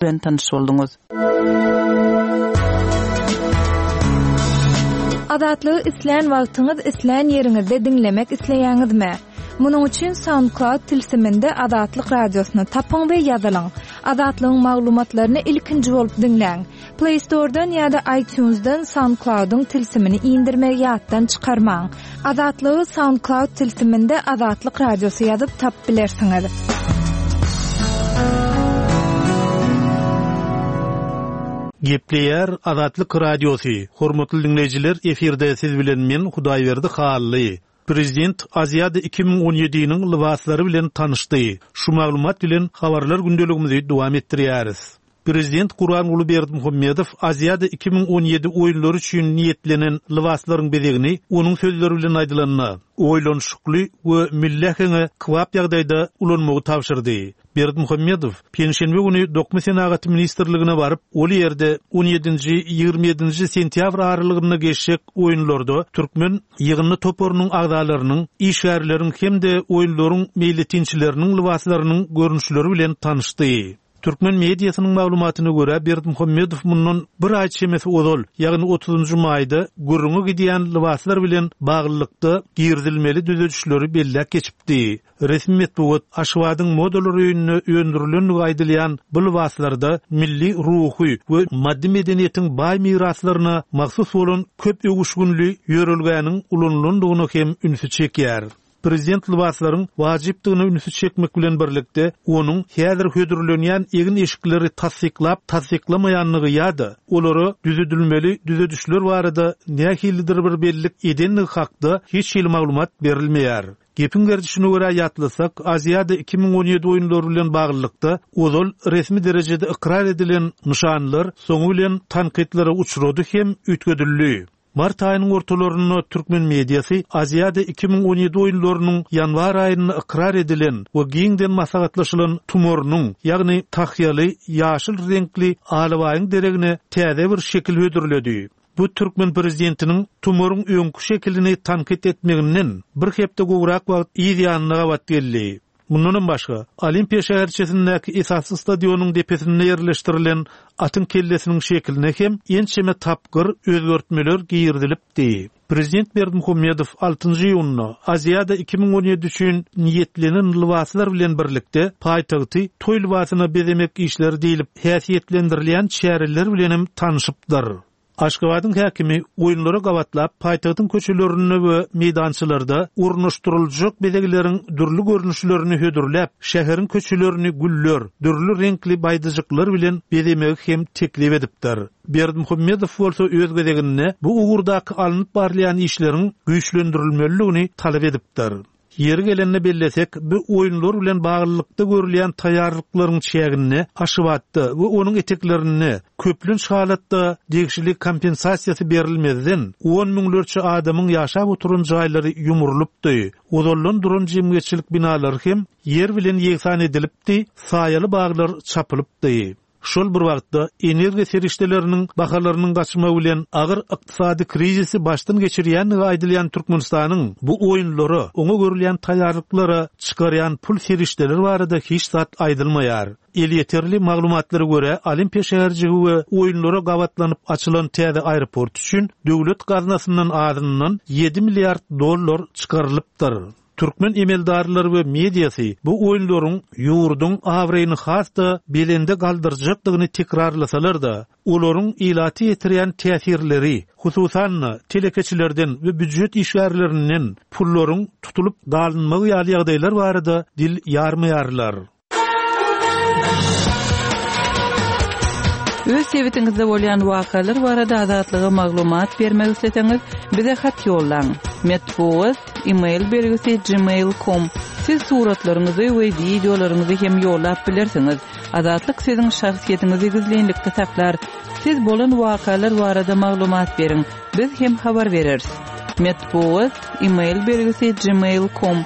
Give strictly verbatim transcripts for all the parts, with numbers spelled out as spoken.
Bilen tanyş bolduňyz. Azatlygy islän wagtyňyz, islän ýeriňizde diňlemek isleýäňizmi? Munuň üçin SoundCloud tilsiminde Azatlyk radiosyny tapyň we ýazylyň. Azatlygyň maglumatlaryny ilkinji bolup diňläň. Play Store'dan ýa-da iTunes'dan SoundCloud'yň tilsimini indirmegi ýatdan çykarmaň. Azatlygy SoundCloud tilsiminde Azatlyk radiosy ýazyp tapyp bilersiňiz. Gepleýär Azatlyk Radiosy. Hormatly dinleýjiler, efirde siz bilen men Hudaýberdi Hally. Prezident Aziada iki müň on ýediniň lybaslary bilen tanyşdy. Şu maglumat bilen habarlar gündeligimizi dowam etdirýäris. Prezident Gurbanguly Berdimuhamedow Aziada iki müň on ýedi oýunlary üçin niýetlenen lybaslaryň bezegini onuň sözleri bilen aýdylanda oýlanyşykly we milli äheňe kybap ýagdaýda ulanmagy tabşyrdy. Berdimuhamedow penşenbe güni Dokma Senagaty Ministrligine baryp, ol ýerde on ýedinji ýigrimi ýedinji sentýabr aralygynda geçjek oýunlarda türkmen ýygyndy toparynyň agzalarynyň, işgärleriň hem-de oýunlaryň meýletinçileriniň lybaslarynyň görnüşleri bilen tanyşdy. Türkmen mediasynyň maglumatyna görä Berdimuhamedow mundan bir aý çemesi ozal, ýagny otuzynjy maýda gürrüňe gidýän lybaslar bilen baglylykda girizilmeli düzedişleri belläp geçipdi. Resmi metbugat Aşgabadyň modalar öýünde öndürilenligi aýdylýan bu lybaslarda milli ruhy we maddy medeniýetiň baý miraslaryna mahsus bolan köp öwüşgünli ýörelgäniň ulanylandygyny hem ünsi çekýär. Prezident lybaslaryň wajypdygyny ünsi çekmek bilen birlikde onuň häzir hödürlenýän egin eşikleri tassyklap tassyklamaýanlygy ýa-da olara düzedilmeli düzedişler barada nähilidir bir bellik edenligi hakda hiç hili maglumat berilmeýär. Gepiň gerdişine görä ýatlasak, Aziada iki müň on ýedi oýunlary bilen baglylykda ozal resmi derejede ykrar edilen nyşanlar soňy bilen tankytlara uçrady hem üýtgedildi. Mart aýynyň ortalarynda türkmen mediasy Aziada iki müň on ýedi oýunlarynyň ýanwar aýynda ykrar edilen we giňden maslahatlaşylan tumarynyň, ýagny tahýaly ýaşyl reňkli alabaýyň deregine täze bir şekil hödürledi. Bu türkmen prezidentiniň tumaryň öňkü şekilini tankyt etmeginden bir hepde gowrak wagt yz ýanyna gabat geldi. Mundan başga, Olimpiýa şäherçesindäki esasy stadionyň depesinde ýerleşdirilen atyň kellesiniň şekiline hem ençeme tapgyr özgertmeler girizilipdi. Prezident Berdimuhamedow altynjy iýunda Aziada iki müň on ýedi üçin niýetlenen lybaslar bilen birlikde paýtagty toý lybasyna bezemek işleri diýilip häsiýetlendirilýän çäreler bilen hem tanyşypdyr. Aşgabadyň häkimi oýunlara gabatlap paýtagtyň köçelerinde we meýdançalarda ornaşdyryljak bezegleriň dürli görnüşlerini hödürläp, şäheriň köçelerini güller, dürli reňkli baýdajyklar bilen bezemegi hem teklip edipdir. Berdimuhamedow bolsa öz gezeginde bu ugurdaky alnyp barylýan işleriň güýçlendirilmelidigini talap edipdir. Ýeri gelende bellesek, bu oýunlar bilen baglylykda görülýän taýýarlyklaryň çäginde Aşgabatda we onuň eteklerinde köplenç halatda degişli kompensasiýasy berilmezden on müňlerçe adamyň ýaşap oturan jaýlary ýumrulypdy. Ozaldan duran jemgyýetçilik binalary hem ýer bilen ýegsan edilipdi, saýaly baglar çapylypdy. Şol bir wagtda energiýa serişdeleriniň bahalarynyň gaçmagy bilen agyr ykdysady krizisi başdan geçirýänligi aýdylýan Türkmenistanyň bu oýunlara, oňa görülýän taýýarlyklara çykarýan pul serişdeleri barada hiç zat aýdylmaýar. Elýeterli maglumatlara görä Olimpiýa şäherjigi we oýunlara gabatlanyp açylan täze aeroport üçin döwlet gaznasyndan azyndan ýedi milliard dollar çykarylypdyr. Türkmen emeldarlary we mediasy bu oýunlaryň ýurduň abraýyny has-da belende galdyrjakdygyny tekrarlasalar-da, olaryň ilaty ýetirýän täsirleri, hususan-da telekeçilerden we býujet işgärlerinden pullaryň tutulyp galynmagy ýaly ýagdaýlar barada dil ýarmaýarlar. Öz sebitiňizde bolýan wakalar barada azatlyga maglumat bermek isleseňiz, bize hat ýollaň. Metbugat, e-mail belgisi gmail nokta com. Siz suratlaryňyzy we wideolaryňyzy hem ýollap bilersiňiz. Azatlyk siziň şahsyýetiňizi gizlinlikde saklar. Siz bolan wakalar barada maglumat beriň. Biz hem habar bereris. Metbugat, e-mail belgisi gmail nokta com.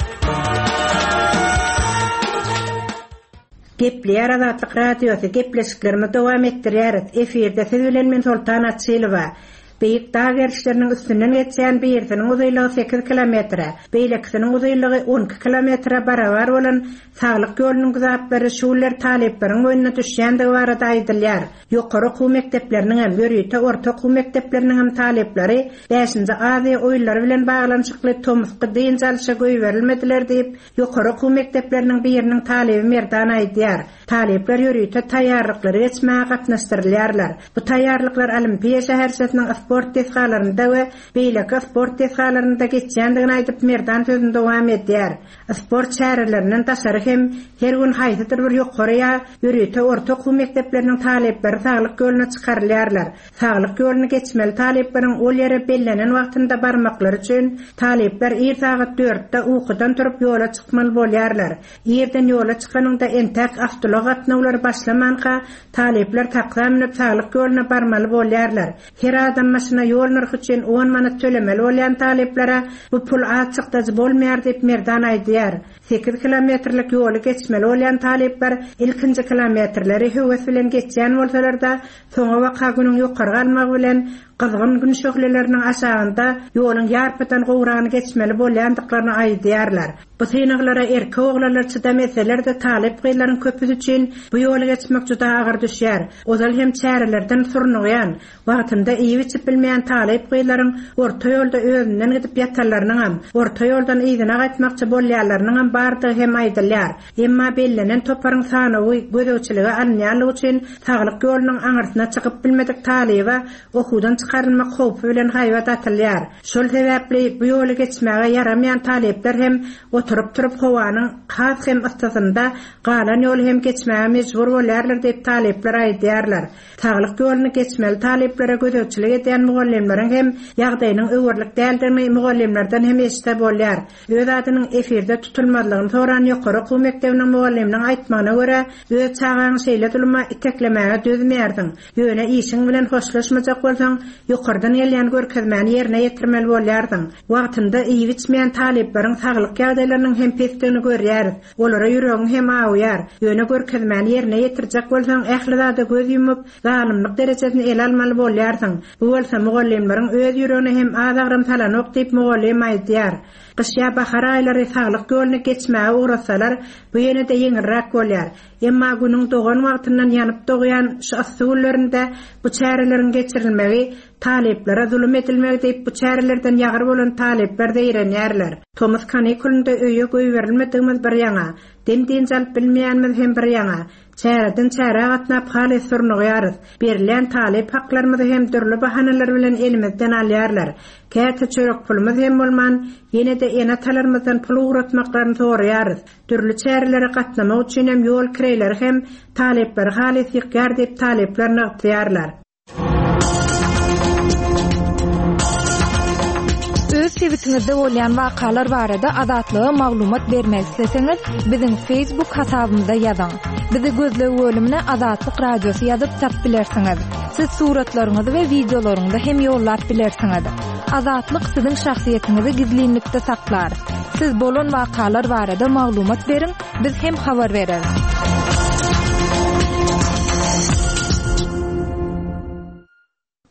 Gepleýär Azatlyk Radiosy, gepleşiklerimizi dowam etdirýäris. Efirde siz bilen men Soltan Açylowa. Beýik dag gerişleriniň üstünden geçýän birisiniň uzynlygy sekiz kilometre, beýlekisiniň uzynlygy on iki kilometre barabar bolan saglyk ýolunyň güzaplary şu günler talyplaryň boýnuna düşýändigi barada aýdylýar. Ýokary okuw mekdepleriniň hem, ýörite orta okuw mekdepleriniň hem talyplary bäşinji Aziýa oýunlary bilen baglanyşykly tomusky dynç alyşa goýberilmediler diýip, ýokary okuw mekdepleriniň biriniň talyby Merdan aýdýar. Talyplar ýörite taýýarlyklary geçmäge gatnaşdyrylýarlar. Bu taýýarlyklar Olimpiýa şäherçesiniň sport desgalarynda we beýleki sport desgalarynda geçýändigini aýdyp Merdan sözüni dowam edýär. Sport çärelerinden daşary hem her gün haýsydyr bir ýokary ýa ýörite orta okuw mekdepleriniň talyplary saglyk ýoluna çykarylýarlar. Saglyk ýoluny geçmeli talyplaryň ol ýere bellenen wagtynda barmaklary üçin talyplar ir sagat dörtde ukudan turup ýola çykmaly bolýarlar. Irden ýola çykanyňda entäk awtoulag gatnawlary başlamanka talyplar taksa münüp saglyk ýoluna barmaly bolýarlar. Her adam başyna ýol nyrhy üçin on manat tölemeli bolýan talyplara bu pul az çykdajy bolmaýar diýip Merdan aýdýar. Sekiz kilometrlik ýoly geçmeli bolýan talyplar ilkinji kilometrleri höwes bilen geçýän bolsalar-da, soňa waka günüň ýokary galmagy bilen gyzgyn gün şöhleleriniň aşagynda ýoluň ýarpydan gowragyny geçmeli bolýandyklaryny aýdýarlar. Bu synaglara erkek oglanlar çydam etseler-de talyp gyzlaryň köpüsi üçin bu ýoly geçmek juda agyr düşýär. Ozal hem çärelerden surnugýan, wagtynda iýip-içip bilmeýän talyp gyzlaryň orta ýolda özünden gidip ýatanlarynyň, orta ýoldan yzyna gaýtmakçy bolýanlarynyň bardygy hem aýdylýar. Emma bellenen toparyň sanawy gözegçilige alynýanlygy üçin saglyk ýolunyň aňyrsyna çykyp bilmedik talyba okuwdan çykarylmak howpy bilen haýbat atylýar. Şol sebäpli bu ýoly geçmäge ýaramaýan talyplar hem oturyp turup howanyň has hem ysysynda galan ýoly hem geçmäge mejbur bolýarlar diýip talyplar aýdýarlar. Saglyk ýoluny geçmeli talyplara gözegçilik edýän mugallymlaryň hem ýagdaýynyň öwürlik däldigini mugallymlardan hem eşitse bolýar. Öz adynyň efirde tutulmazlygyny soran ýokary okuw mekdebiniň mugallymynyň aýtmagyna görä, öz çagaňy şeýle zuluma iteklemäge dözmeýärsiň. Ýöne işiň bilen hoşlaşmajak bolsaň, ýokardan gelýän görkezmäni ýerine ýetirmeli bolýarsyň. Wagtynda iýip-içmeýän talyplaryň saglyk ýagdaýlarynyň hem pesdigini görýäris. Olara ýüregiň hem awýar. Ýöne görkezmäni ýerine ýetirjek bolsaň, ähli zada göz ýumup, zalymlyk derejesini ele almaly bolýarsyň. Bu bolsa mugallymlaryň öz ýüregine hem az agram salanok diýip mugallym aýdýar. Gyş ýa bahar aýlary saglyk ýoluny geçmäge uğratsalar, bu ýene-de ýeňilräk bolýar. Emma günüň dogan wagtyndan ýanyp dogýan şu yssy günlerinde bu çäreleriň geçirilmegi talyplara zulum edilmegi diýip bu çärelerden ýagyr bolan talyplar zeýrenýärler. Tomus kanikulynda öýe goýberilmedigimiz bir ýaňa, dem dynç alyp bilmeýänimiz hem bir ýaňa. Çäreden çärä gatnap halys surnugýarys. Berilýän talyp haklarymyzy hem dürli bahanalar bilen elimizden alýarlar. Käte çörek pulumyz hem bolman, ýene-de ene-atalarymyzdan pul ugratmaklaryny soraýarys. Dürli çärelere gatnamak üçin hem ýol kireýleri hem talyplary halys ýykýar diýip talyplar nygtaýarlar. Öz sebitiňizde bolýan wakalar barada Azatlyga maglumat bermek isleseňiz, biziň Facebook hasabymyza ýazyň. Bizi gözleg bölümine Azatlyk Radiosy ýazyp tap bilersiňiz. Siz suratlaryňyzy we wideolaryňyzy hem ýollap bilersiňiz. Azatlyk siziň şahsyýetiňizi gizlinlikde saklar. Siz bolan wakalar barada maglumat beriň, biz hem habar bereris.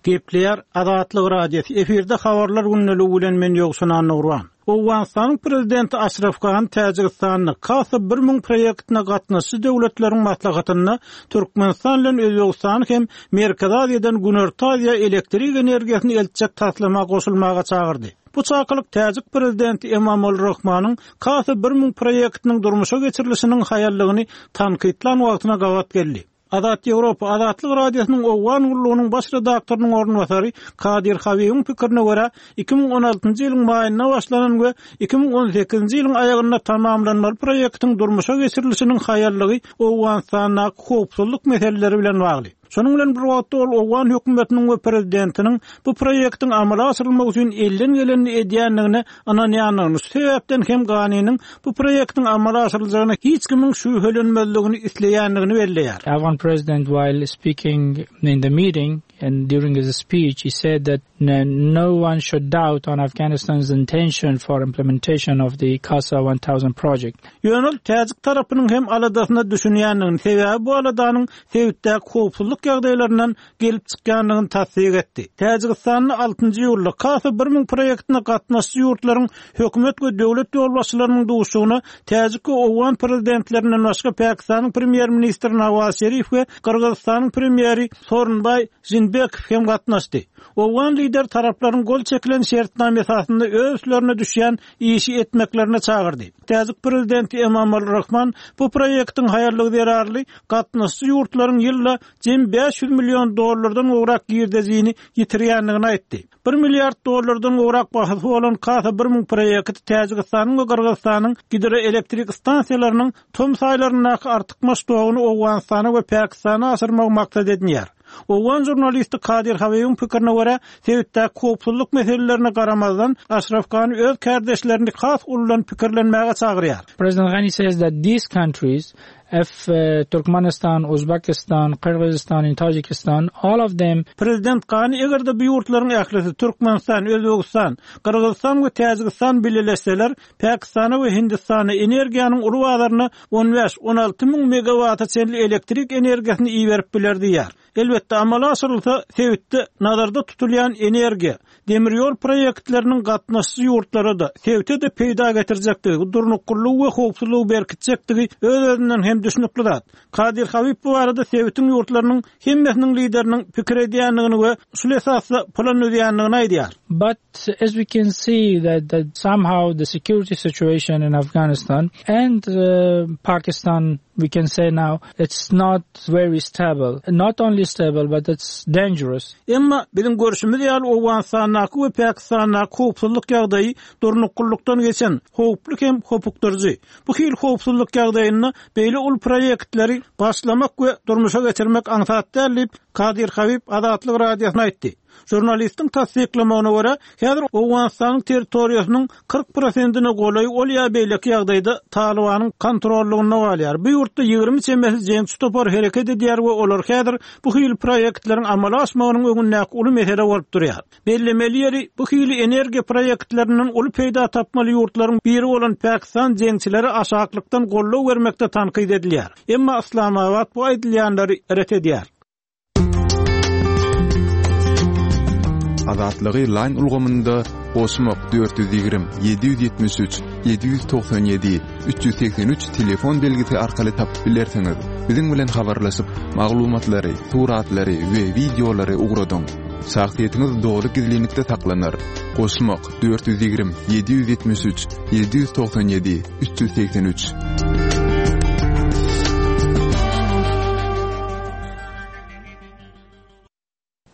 Gepleýär Azatlyk Radiosy. Efirde habarlar günlügi bilen men Ýowşan Nurwan. Owganystanyň prezidenti Aşraf Gani Täjigistanda Kasa bir müň proýektine gatnaşyjy döwletleriň maslahatynda Türkmenistan bilen Özbegistan hem Merkezi Aziýadan Günorta Aziýa elektrik energiýasyny eltjek taslama goşulmaga çagyrdy. Bu çakylyk Täjik prezidenti Emomali Rahmanyň Kasa bir müň proýektiniň durmuşa geçirilişiniň haýallygyny tankytlan wagtyna gabat geldi. Azat Ýewropa Azatlyk Radiosynyň Owgan gullugynyň baş redaktorynyň orunbasary Kadir Habibiň pikirine görä, iki müň on altynjy ýylyň maýynda başlanan we iki müň on sekizinji ýylyň aýagynda tamamlanmaly proýektiň durmuşa geçirilişiniň haýallygy Owganystandaky howpsuzlyk meseleleri bilen bagly. Şonuň bilen bir wagtda ol Owgan hökümetiniň we prezidentiniň bu proýektiň amala aşyrylmagy üçin elden gelenini edýändigine ynanýandygyny, şu sebäpden hem Ganiniň bu proýektiň amala aşyryljagyna hiç kimiň şübhelenmezligini isleýändigini belleýär. Afghan president, while speaking in the meeting and during his speech, he said that no one should doubt on Afghanistan's intention for implementation of the CASA one thousand project. Ýöne ol Täjik tarapynyň hem aladasyna düşünýändigini, sebäbi bu aladanyň sebitdäki howpsuzlyk howpsuzlyk ýagdaýlaryndan gelip çykýandygyny tassyk etdi. Täjigistanda altynjy iýulda Kasa bir müň proýektine gatnaşyjy ýurtlaryň hökümet we döwlet ýolbaşçylarynyň duşuşygyna täjik we owgan prezidentlerinden başga Pakistanyň premýer-ministri Nawaz Şerif we Gyrgyzystanyň premýeri Sooronbaý Žeenbekow hem gatnaşdy. Owgan lideri taraplaryň gol çekilen şertnama esasynda öz üstlerine düşýän işi etmeklerine çagyrdy. Täjik prezidenti Emomali Rahman bu proýektiň haýallygy zerarly gatnaşyjy ýurtlaryň ýylda jem bäş ýüz million dollardan gowrak girdejini ýitirýändigini aýtdy. Bir milliard dollardan gowrak bahasy bolan Kasa bir müň proýekti Täjigistanyň we Gyrgyzystanyň gidroelektrik stansiýalarynyň tomus aýlaryndaky artykmaç toguny Owganystana we Pakistana aşyrmagy maksat edinýär. Owgan žurnalisti Kadir Habibiň pikirine görä, sebitdäki howpsuzlyk meselelerine garamazdan, Aşraf Gani öz kärdeşlerini has uludan pikirlenmäge çagyrýar. President Ghani says that these countries, if, uh, Turkmenistan, Uzbekistan, Kyrgyzstan and Tajikistan, all of them. Prezident Gani eger-de bu ýurtlaryň ählisi Türkmenistan, Özbegistan, Gyrgyzystan we Täjigistan bileleşseler, Pakistana we Hindistana energiýanyň uly bazaryna on bäş, on alty müň megawata çenli elektrik energiýasyny iberip biler diýýär. Elbetde amala aşyrylsa, sebitde nazarda tutulýan energiýa, demir ýol proýektleriniň gatnaşyjy ýurtlara-da, sebite-de peýda getirjekdigi, durnuklylygy we howpsuzlygy berkitjekdigi öz-özünden hem düşnükli zat. Kadir Habib bu barada sebitiň ýurtlarynyň hemmesiniň lideriniň pikir edýändigini we şul esasda plan düzýändigini aýdýar. But as we can see that, that somehow the security situation in Afghanistan and, uh, Pakistan, we can say now, it's not very stable. Not only stable, but it's dangerous. Emma biziň görşümiz ýaly Owganystandaky we Pakistandaky howpsuzlyk ýagdaýy durnuklylykdan geçen howply hem hopukdyryjy. Bu hil howpsuzlyk ýagdaýynda beýle uly proýektleri başlamak we durmuşa geçirmek aňsat däl diýip Kadir Habib Azatlyk radiosyna aýtdy. Žurnalistiň tassyklamagyna görä, häzir Owganystanyň territoriýasynyň kyrk prosentine golaý ol ýa beýleki ýagdaýda Talibanyň kontrollygynda galýar. Bu ýurtda ýigrimi çemesi jeňçi topar hereket edýär we olar häzir bu hil proýektleriň amala aşmagynyň öňündäki uly mesele bolup durýar. Bellemeli ýeri bu hili energiýa proýektlerinden uly peýda tapmaly ýurtlaryň biri bolan Pakistan jeňçileri aşaklykdan goldaw bermekde tankyt edilýär. Emma Islamabad bu aýdylýanlary ret edýär. Azatlygy line ulgamynda goşmak dört ýüz ýigrimi, ýedi ýüz ýetmiş üç, ýedi ýüz togsan ýedi, üç ýüz segsen üç telefon belgisi arkaly tapyp bilersiňiz. Biziň bilen habarlaşyp, maglumatlary, suratlary we wideolary ugradyň. Şahsyýetiňiz dogry gizlinlikde saklanar. Goşmak dört ýüz ýigrimi, ýedi ýüz ýetmiş üç, ýedi ýüz togsan ýedi, üç ýüz segsen üç.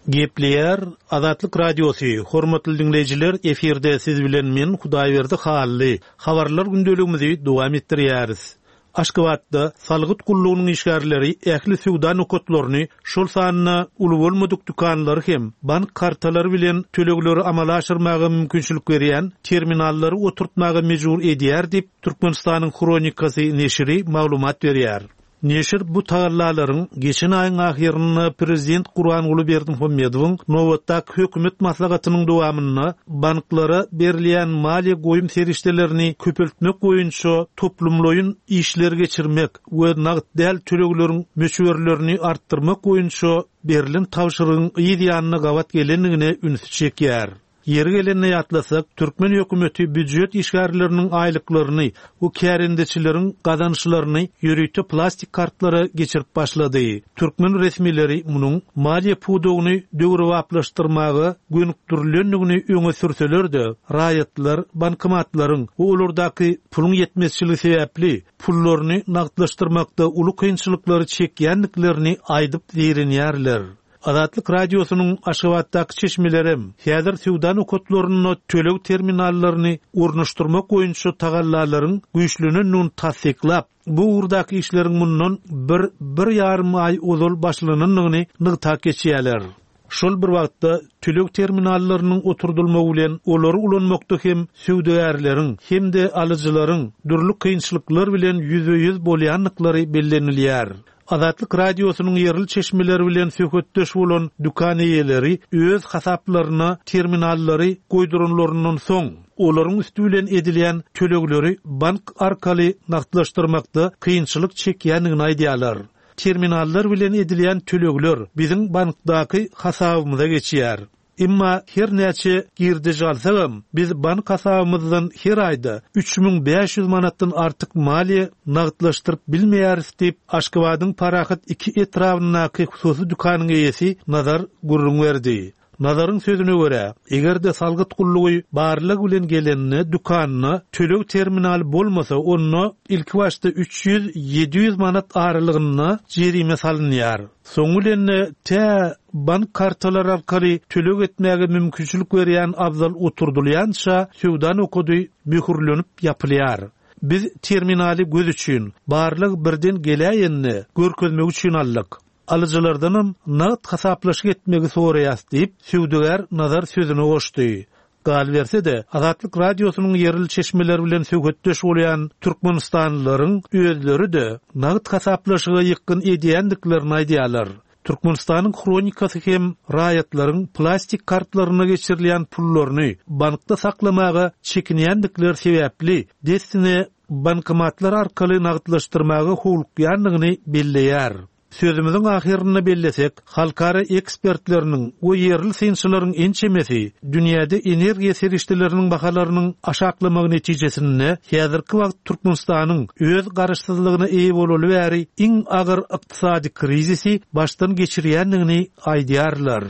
Gepleýär Azatlyk Radiosy, hormatly dinleýjiler, efirde siz bilen men Hudaýberdi Hally. Habarlar gündeligimizi dowam etdirýäris. Aşgabatda salgyt gullugynyň işgärleri ähli söwda nokatlaryny, şol sanda uly bolmadyk dükanlary hem bank kartalary bilen tölegleri amala aşyrmaga mümkinçilik berýän terminallary oturtmaga mejbur edýär diýip Türkmenistanyň Hronikasy neşiri maglumat berýär. Neşir bu tagallalaryň geçen aýyň ahyrynda prezident Gurbanguly Berdimuhamedowyň nobatdaky hökümet maslahatynyň dowamynda banklara berilýän maliýe goýum serişdelerini köpeltmek boýunça toplumlaýyn işler geçirmek we nagt däl tölegleriň möçberlerini artdyrmak boýunça berlen tabşyrygyň yz ýanyna gabat gelendigine ünsi çekýär. Ýeri gelende ýatlasak, türkmen hökümeti býujet işgärleriniň aýlyklaryny we kärendeçileriň gazançlaryny ýörite plastik kartlara geçirip başlady. Türkmen resmileri munuň maliýe pudagyny döwrebaplaşdyrmaga gönükdirilendigini öňe sürseler-de, raýatlar bankomatlaryň we olardaky puluň ýetmezçiligi sebäpli pullaryny nagtlaşdyrmakda uly kynçylyklary çekýändiklerini aýdyp zeýrenýärler. Azatlyk radiosynyň Aşgabatdaky çeşmelerem häzir söwda nokatlarynda töleg terminallaryny ornaşdyrmak boýunça tagallalaryň güýçlenendigini tassyklap, bu ugurdaky işleriň mundan bir, bir ýarym aý ozal başlanandygyny nygtap geçýärler. Şol bir wagtda töleg terminallarynyň oturdylmagy bilen olary ulanmakda hem söwdagärleriň hem-de alyjylaryň dürli kynçylyklar bilen ýüzbe-ýüz bolýandyklary bellenilýär. Azatlyk radiosynyň ýerli çeşmeleri bilen söhbetdeş bolan dükan eýeleri öz hasaplaryna terminallary goýduranlaryndan soň olaryň üstü bilen edilýän tölegleri bank arkaly nagtlaşdyrmakda kynçylyk çekýändigini aýdýarlar. Terminallar bilen edilýän tölegler biziň bankdaky hasabymyza geçýär. Emma her näçe girdeji alsagam, biz bank hasabymyzdan her aýda üç müň bäş ýüz manatdan artyk maliýe nagtlaşdyryp bilmeýäris diýip, Aşgabadyň Parahat iki etrabyndaky hususy dükanyň eýesi Nazar gürrüň berdi. Nazaryň sözüne görä, eger-de salgyt gullugy barlag bilen gelende dükanyna töleg terminaly bolmasa, onda ilki başda üç ýüz ýedi ýüz manat aralygynda jerime salynýar. Soňy bilen tä bank kartalary arkaly töleg etmäge mümkinçilik berýän abzal oturdylýança söwda nokady möhürlenip ýapylýar. Biz terminaly göz üçin, barlag birden geläýende görkezmek üçin aldyk. Alyjylardanam nagt hasaplaşyk etmegi soraýas diýip, söwdagär Nazar sözüne goşdy. Galyberse-de, Azatlyk Radiosynyň ýerli çeşmeler bilen söhbetdeş bolýan Türkmenistanlylaryň özleri-de nagt hasaplaşyga ýykgyn edýändiklerini aýdýarlar. Türkmenistanyň hronikasy hem raýatlaryň plastik kartlaryna geçirilýän pullaryny bankda saklamaga çekinýändikleri sebäpli dessine bankomatlar arkaly nagtlaşdyrmaga howlukýandygyny belleýär. Sözümiziň ahyrynda bellesek, halkara ekspertleriniň we ýerli synçylaryň ençemesi dünýäde energiýa serişdeleriniň bahalarynyň aşaklamagy netijesinde häzirki wagt Türkmenistanyň öz garaşsyzlygyna eýe bolaly bäri iň agyr ykdysady krizisi başdan geçirýändigini aýdýarlar.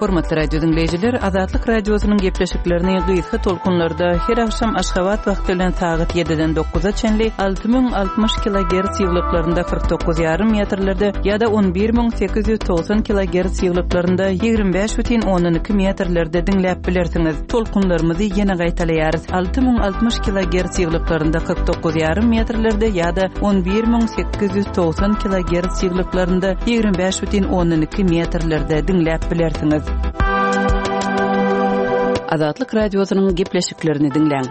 Hormatly radio dinleýjiler, Azatlyk radiosynyň gepleşiklerini gysga tolkunlarda her akşam Aşgabat wagty bilen sagat ýediden dokuza çenli alty müň altmyş kilogertz ýyglyklarynda kyrk dokuz ýarym metrlerde ýa-da on bir müň sekiz ýüz togsan kilogertz ýyglyklarynda ýigrimi bäş bütin ondan iki metrlerde diňläp bilersiňiz. Tolkunlarymyzy ýene gaýtalaýarys. Alty müň altmyş kilogertz ýyglyklarynda kyrk dokuz ýarym metrlerde ýa-da on bir müň sekiz ýüz togsan kilogertz ýyglyklarynda ýigrimi bäş bütin ondan iki metrlerde diňläp bilersiňiz. Azatlyk radiosynyň gepleşiklerini diňläň.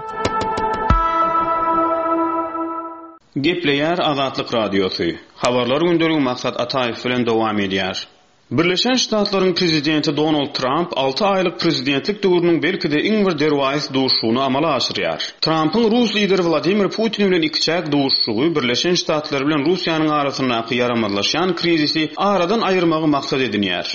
Gepleýär Azatlyk radiosy. Habarlar gündeligi Maksat Ataýew bilen dowam edýär. Birleşen Ştatlaryň prezidenti Donald Trump alty aýlyk prezidentlik döwrüniň belki-de iň bir derwaýys duşuşygyny amala aşyrýar. Trumpyň Rus lideri Wladimir Putin bilen ikiçäk duşuşygy Birleşen Ştatlar bilen Russiýanyň arasyndaky ýaramazlaşýan krizisi aradan aýyrmagy maksat edinýär.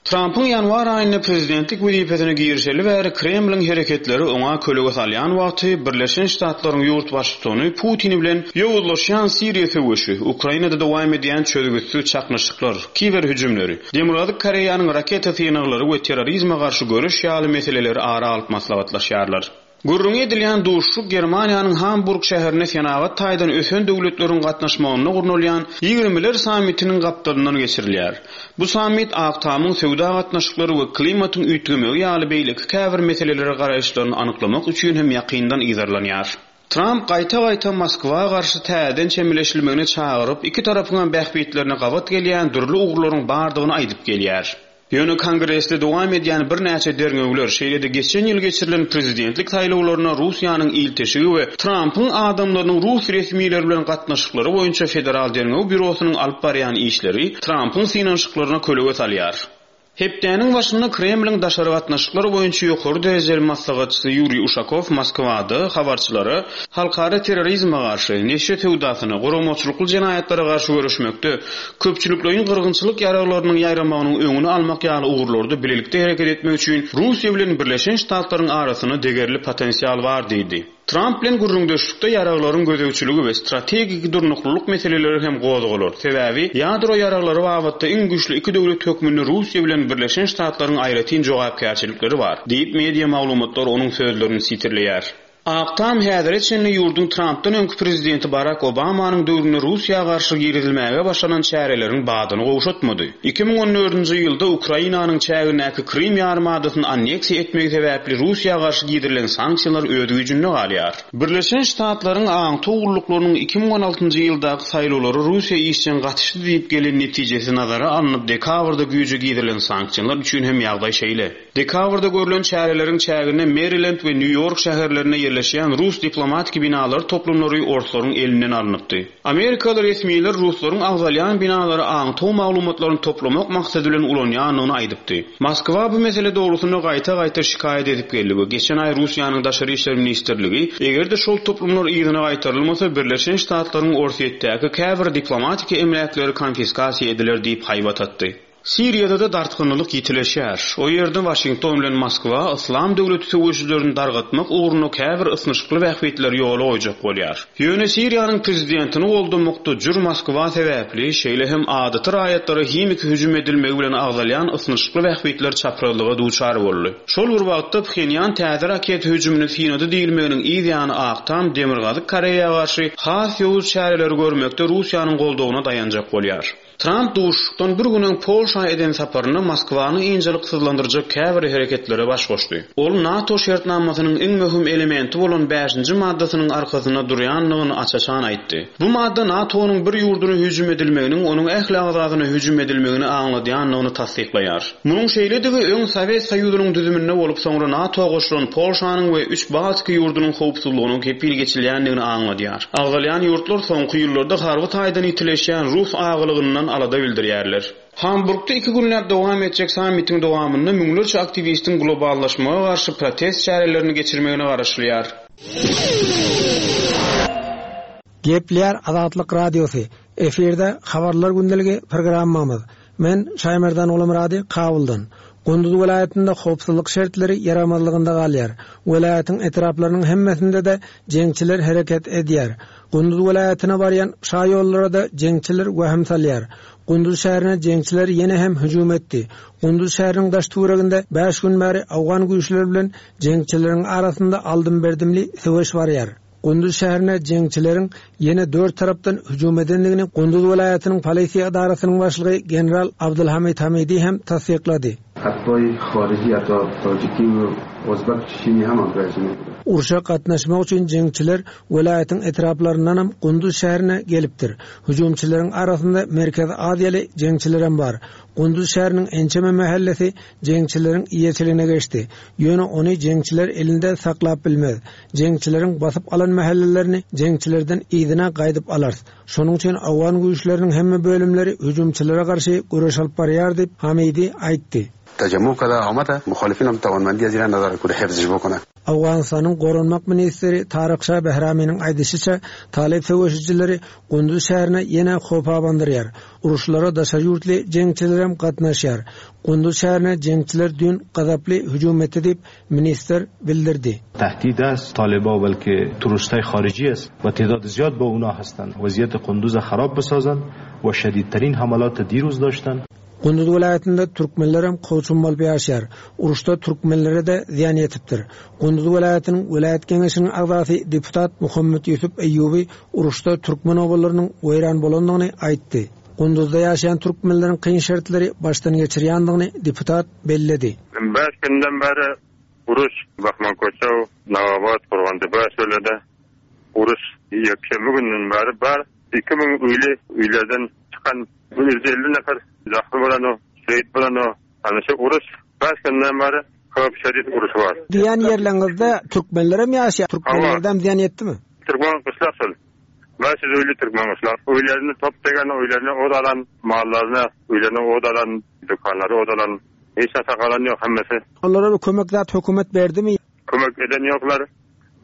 Trumpyň ýanwar aýynda prezidentlik wezipesine girişeli bäri Kremliň hereketleri oňa kölege salýan wagty Birleşen Ştatlaryň ýurt baştutany Putin bilen ýowuzlaşýan Siriýa söweşi, Ukrainada dowam edýän çözgütsiz çaknyşyklar, kiber hüjümleri, Demirgazyk Koreýanyň raketa synaglary we terrorizme garşy göreş ýaly meseleleri ara alyp maslahatlaşýarlar. Gürrüň edilýän duşuşyk Germaniýanyň Hamburg şäherinde senagat taýdan ösen döwletleriň gatnaşmagynda gurnalýan ýigrimeler sammitiniň gapdalyndan geçirilýär. Bu sammit Ak Tamyň söwda gatnaşyklary we klimatyň üýtgemegi ýaly beýleki käbir meselelere garaýyşlaryny anyklamak üçin hem ýakyndan yzarlanýar. Trump gaýta-gaýta Moskwa garşy täzeden çemeleşilmegine çagyryp, iki tarapyň bähbitlerine gabat gelýän dürli ugurlaryň bardygyny aýdyp gelýär. Ýöne Kongresde dowam edýän birnäçe derňewler, şeýle-de geçen ýyl geçirilen prezidentlik saýlawlaryna Russiýanyň ilteşigi we Trumpyň adamlarynyň rus resmileri bilen gatnaşyklary boýunça Federal Derňew Býurosynyň alyp barýan işleri Trumpyň synanyşyklaryna kölege salýar. Hepdäniň başynda Kremliň daşary gatnaşyklar boýunça ýokary derejeli maslahatçysy Ýuriý Uşakow Moskwada habarçylara halkara terrorizme garşy, neşe söwdasyna, guramaçylykly jenaýatlara garşy göreşmekde, köpçülikleýin gyrgynçylyk ýaraglarynyň ýaýramagynyň öňüni almak ýaly ugurlarda bilelikde hereket etmek üçin Russiýa bilen Birleşen Ştatlaryň arasynda degerli potensial bar diýdi. Trump bilen gürrüňdeşlikde ýaraglaryň gözegçiligi we strategik durnuklylyk meseleleri hem gozgalar. Sebäbi ýadro ýaraglary babatda iň güýçli iki döwlet hökmünde Russiýa bilen Birleşen Ştatlaryň aýratyn jogapkärçilikleri bar, diýip media maglumatlar onuň sözlerini sitirleýär. Ak Tam häzire çenli ýurduň Trumpdan öňki prezidenti Barack Obamanyň döwründe Russiýa garşy girizilmäge başlanan çäreleriň badyny gowşatmady. Iki müň on dördünji ýylda Ukrainanyň çägindäki Krym ýarymadasyny anneksiýa etmegi sebäpli Russiýa garşy girizilen sanksiýalar öz güýjünde galýar. Birleşen Ştatlaryň aňtaw gulluklarynyň iki müň on altynjy ýyldaky saýlawlary Russiýa işjeň gatyşdy diýip gelen netijesi nazara alnyp dekabrda güýje girizilen sanksiýalar üçin hem ýagdaý şeýle. Dekabrda görülen çäreleriň çäginde Maryland we New York şäherlerine ýerleşýän rus diplomatiki binalar toplumlary orslaryň elinden alnypdy. Amerikaly resmiler ruslaryň agzalýan binalary aňtaw maglumatlaryny toplamak maksady bilen ulanýandygyny aýdypdy. Moskwa bu mesele dogrusynda gaýta-gaýta şikaýat edip geldi we geçen aý Russiýanyň Daşary işler ministrligi eger-de şol toplumlar yzyna gaýtarylmasa Birleşen Ştatlaryň Orsýetdäki käbir diplomatiki emläkleri konfiskasiýa ediler diýip haýbat atdy. Siriýada-da dartgynlylyk ýitileşýär. O ýerde Waşington bilen Moskwa Yslam döwleti söweşijilerini dargatmak ugrunda käbir ysnyşykly bähbitleri ýola goýjak bolýar. Ýöne Siriýanyň prezidentini goldamakda jür Moskwa sebäpli, şeýle hem adaty raýatlara himiki hüjüm edilmegi bilen agzalýan ysnyşykly bähbitler çaprazlyga duçar boldy. Şol bir wagtda Phenýan täze raket hüjümini synady diýilmeginiň yz ýany Ak Tam Demirgazyk Koreýa garşy has ýowuz çäreleri görmekde Russiýanyň goldawyna daýanjak bolýar. Tramp duşuşykdan bir gün öň Polşa eden saparynda Moskwany ynjalyksyzlandyrjak käbir hereketlere baş goşdy. Ol NATO şertnamasynyň iň möhüm elementi bolan bäşinji maddasynyň arkasynda durýandygyny aç-açan aýtdy. Bu madda NATO-nyň bir ýurduna hüjüm edilmeginiň onuň ähli agzasyna hüjüm edilmegini aňladýandygyny tassyklaýar. Munuň şeýledigi öň Sowet Soýuzynyň düzüminde bolup soňra NATO goşulan Polşanyň we üç Baltik ýurdunyň howpsuzlygynyň kepil geçilýändigini aňladýar. Agzalýan ýurtlar soňky ýyllarda harby taýdan ýitileşýän rus agylygyndan alada bildirýärler. Hamburgda iki günläp dowam etjek sammitiň dowamynda müňlerçe aktiwistiň globallaşmaga garşy protest çärelerini geçirmegine garaşylýar. Gepleýär Azatlyk Radiosy. Efirde Habarlar gündeligi programmamyz. Men Şaýmerdan Gulmyrady Kabuldan. Gunduz welaýatynda howpsuzlyk şertleri ýaramazlygynda galýar. Welaýatyň etraplarynyň hemmesinde-de jeňçiler hereket edýär. Gunduz welaýatyna barýan şa ýollara da jeňçiler wehim salýar. Gunduz şäherine jeňçiler ýene hem hüjüm etdi. Gunduz şäheriniň daş töwereginde bäş gün bäri Awgan güýçleri bilen jeňçileriň arasynda aldym-berdimli söweş barýar. Gunduz şäherine jeňçileriň ýene dört tarapdan hüjüm edendigini Gunduz welaýatynyň polisiýa edarasynyň başlygy general Abdulhamid Hamidi hem tassyklady. Urşa gatnaşmak üçin jeňçiler welaýatyň etraplaryndanam Gunduz şäherine gelipdir. Hüjümçileriň arasynda Merkezi Aziýaly jeňçilerem bar. Gunduz şäheriniň ençeme mähellesi jeňçileriň eýeçiligine geçdi. Ýöne ony jeňçiler elinde saklap bilmez. Jeňçileriň basyp alan mähellelerini jeňçilerden yzyna gaýdyp alar. Şonuň üçin Awgan güýçleriniň hemme bölümleri hüjümçilere garşy göreş alyp barýar diýip Hamidi aýtdy. تجمع کده آمده مخالفین هم توانمندی از ایران نداره که حفظش بکنه. Awganystanyň Goranmak ministri Taryk Şah Behraminiň aýdyşyça Talip söweşijileri Gunduz şäherine ýene howp abandyrýar. Uruşlara daşary ýurtly jeňçiler hem gatnaşýar. Gunduz şäherine jeňçiler düýn gazaply hüjüm etdi diýip ministr bildirdi. تهدید است طالبا بلکه تروریست‌های خارجی است و تعداد زیاد با اونا هستند. وضعیت قندوز خراب بسازند و شدیدترین حملات دیروز داشتند. Gunduz welaýatynda türkmenler hem kowçum bolup ýaşaýar. Uruşda türkmenlere de zyýan ýetipdir. Gunduz welaýatynyň welaýat geňeşiniň agzasy deputat Muhammed Ýusuf Eýýubi uruşda türkmen obalarynyň weýran bolandygyny aýtdy. Gunduzda ýaşaýan türkmenleriň kyn şertleri başdan geçirýändigini deputat belledi. Bäş günden bäri uruş Bahman Koçaw, Nawabad, Kurgantepe şöylede uruş ýekşenbe günden bäri bar. Iki müň öýli öýlerden çykan bir ýüz elli nefer zahmy bolan o, şehit bolan o. Hani şu uruş bäş günden bäri köp şedid uruş bar. Diýen ýerleriňizde türkmenler hem ýaşaýar. Türkmenlerden zyýan ýetdimi? Türkmen gyşlak şol. Bäş ýüz öýli türkmen gyşlak. Öýlerini top degen, öýlerini od alan, mallaryny, öýlerini od alan, dükanlary od alan. Hiç narsa galan ýok hemmesi. Olara bir kömek zat hökümet berdimi? Kömek eden ýoklar.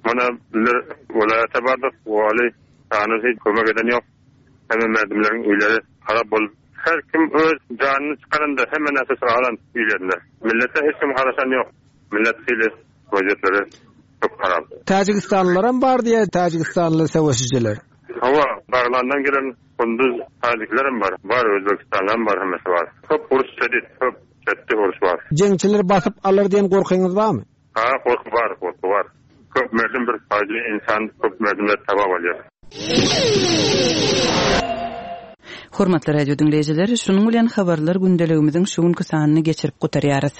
Mana bizler welaýata bardyk. Wali tanyş hiç kömek eden ýok. Hemme merdimleriň öýleri harap bolup, her kim öz janyny çykaranda hemme narsa alan öýlerinde. Millete hiç kim garaşan ýok. Millet hili waziýetleri çok harap. Täjigistanlylar hem bar diýe, Täjigistanly söweşijiler. Hawa, Baglandan gelen Kunduz täjikler hem bar. Bar, Özbekistanlar hem bar, hemmesi bar. Köp uruş şedid, köp şedid uruş bar. Jeňçiler basyp alar diýen gorkyňyz barmy? Ha, gorky bar, gorky bar. Köp merdim bir fajia insan, köp merdimler tabak bolýar. Hormatly radio diňleýjiler, şunuň bilen habarlar gündeligimiziň şu günki sanyny geçirip gutarýarys.